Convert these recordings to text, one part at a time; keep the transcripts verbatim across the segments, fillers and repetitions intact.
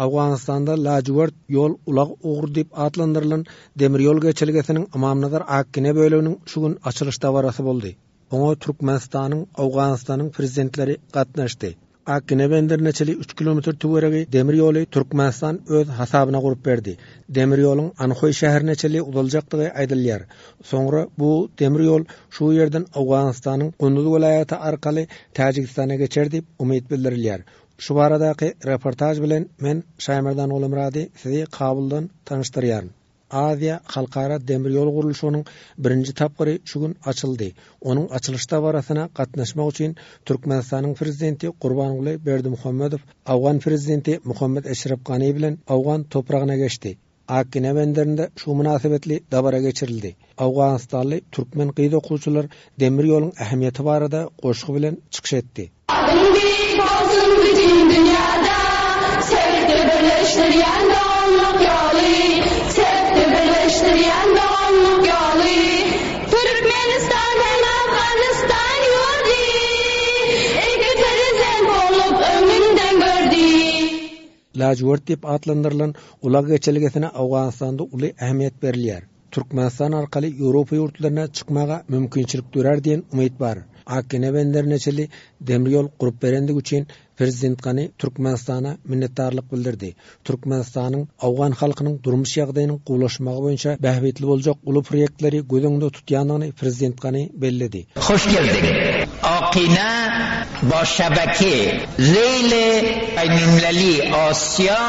Owganystanda Lajwert ýol ulag ugry diýip atlandyrylan demir ýol geçelgesiniň Ymamnazar Akgine böleginiň şu gün açylyş dabarasy boldy. Oňa Türkmenistanyň, Owganystanyň prezidentleri gatnaşdy. Akgine benderine çenli üç kilometr töweregi demir ýoly Türkmenistan öz hasabyna gurup berdi. Demir ýoluň Anhoý şäherine çenli uzaljakdygy aýdylýar. Soňra bu demir ýol şu ýerden Owganystanyň Gunduz welaýaty arkaly Täjigistana geçer diýip umyt bildirilýär. Şu baradaky reportaž bilen men Şaýmerdan Gulumyrady sizi Kabuldan tanyşdyrýaryn. Aziýa halkara demir ýol gurluşygynyň birinji tapgyry şu gün açyldy. Onuň açylyş dabarasyna gatnaşmak üçin Türkmenistanyň prezidenti Gurbanguly Berdimuhamedow Owgan prezidenti Muhammet Eşref Gani bilen Owgan topragyna geçdi. Akgine benderinde şu mynasybetli dabara geçirildi. Owganystanly türkmen gyz okuwçylar demir ýoluň ähmiýeti barada goşgy bilen çykyş etdi. Adyň beýik bolsun bütin dünýäde, Sebitde birleşdirýän doganlyk ýoly, Sebitde birleşdirýän doganlyk ýoly. Türkmenistan hem Afganystan ýurdy, Iki prezident bolup öňünden gördi. Lajwert diýip atlandyrylan ulag geçelgesine Owganystanda uly ähmiýet berilýär. Türkmenistan arkaly Ýewropa ýurtlaryna çykmaga mümkinçilik dörär diýen umyt bar. Akgine benderine çenli demir ýol gurup berendigi üçin Prezident Gani Türkmenistana minnetdarlyk bildirdi. Türkmenistanyň owgan halkynyň durmuş ýagdaýynyň gowulaşmagy boýunça bähbitli boljak uly proýektleri göz öňünde tutýandygyny Prezident Gani belledi. Hoş geldiň, Akina ba şebeke Reýl Beýnulmileli Asiýa.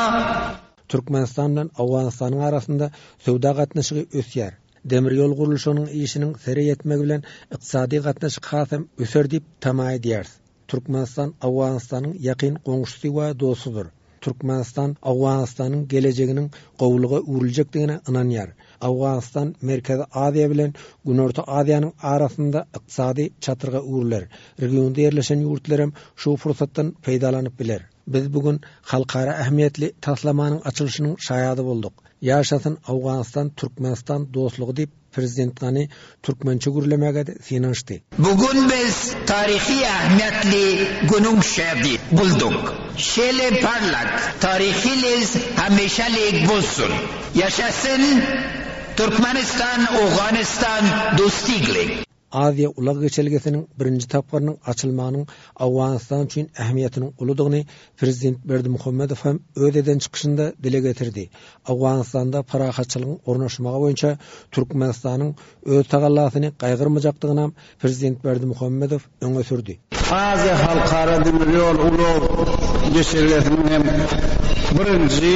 Türkmenistan bilen Owganystanyň arasynda söwda gatnaşygy ösýär. Demir ýol gurluşygynyň işiniň sere ýetmegi bilen ykdysady gatnaşyk hasam öser diýip tama edýäris. Türkmenistan Owganystanyň ýakyn goňşusy we dostudyr. Türkmenistan Owganystanyň gelejeginiň gowulyga öwrüljekdigine ynanýar. Owganystan Merkezi Aziýa bilen Günorta Aziýanyň arasynda ykdysady çatryga öwrüler. Regionda ýerleşen ýurtlar hem şu pursatdan peýdalanyp biler. Biz bu gün halkara ähmiýetli taslamanyň açylyşynyň şaýady bolduk. Ýaşasyn Owganystan-Türkmenistan dostlugy diýip, Prezident Gani türkmençe gürlemäge-de synanyşdy. Bu gün biz taryhy ähmiýetli günüň şähidi bolduk. Şeýle parlak taryhymyz hemişelik bolsun! Ýaşasyn Türkmenistan-Owganystan dostlugy! Aziýa ulag geçelgesiniň birinji tapgyrynyň açylmagynyň Owganystan üçin ähmiýetiniň uludygyny Prezident Berdimuhamedow hem öz eden çykyşynda dile getirdi. Owganystanda parahatçylygyň ornaşmagy boýunça Türkmenistanyň öz tagallasyny gaýgyrmajakdygynam Prezident Berdimuhamedow öňe sürdi. Aziýa halkara demir ýol ulag geçelgesiniň hem birinji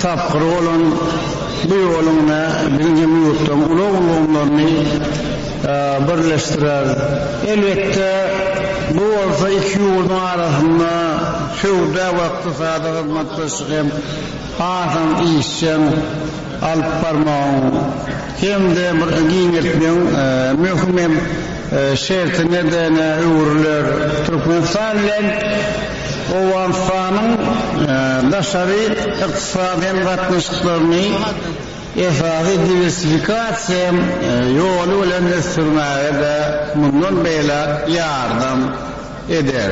tapgyry bolan bu ýoluň biziň hem ýurtlaryň ulag ulgamlaryny birleşdirer. Elbetde, bu bolsa iki ýurduň arasynda söwda we ykdysady hyzmatdaşlygy hem hasam işjeň alyp barmagyň hem-de bir giňeltmegiň möhüm hem şertine-de öwrüler. Türkmenistan bilen Owganystanyň daşary ykdysady hem gatnaşyklaryny esasy diwersifikasiýa ýoly bilen ösdürmäge-de mundan beýläk ýardam eder.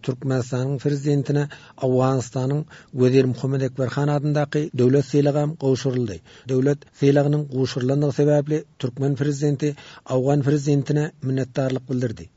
Türkmenistanyň Prezidentine Owganystanyň Wezir Muhammet Ekber han adyndaky döwlet sylagam gowşuryldy. Döwlet sylagynyň gowşurylandygy sebäpli türkmen Prezidenti owgan Prezidentine minnetdarlyk bildirdi.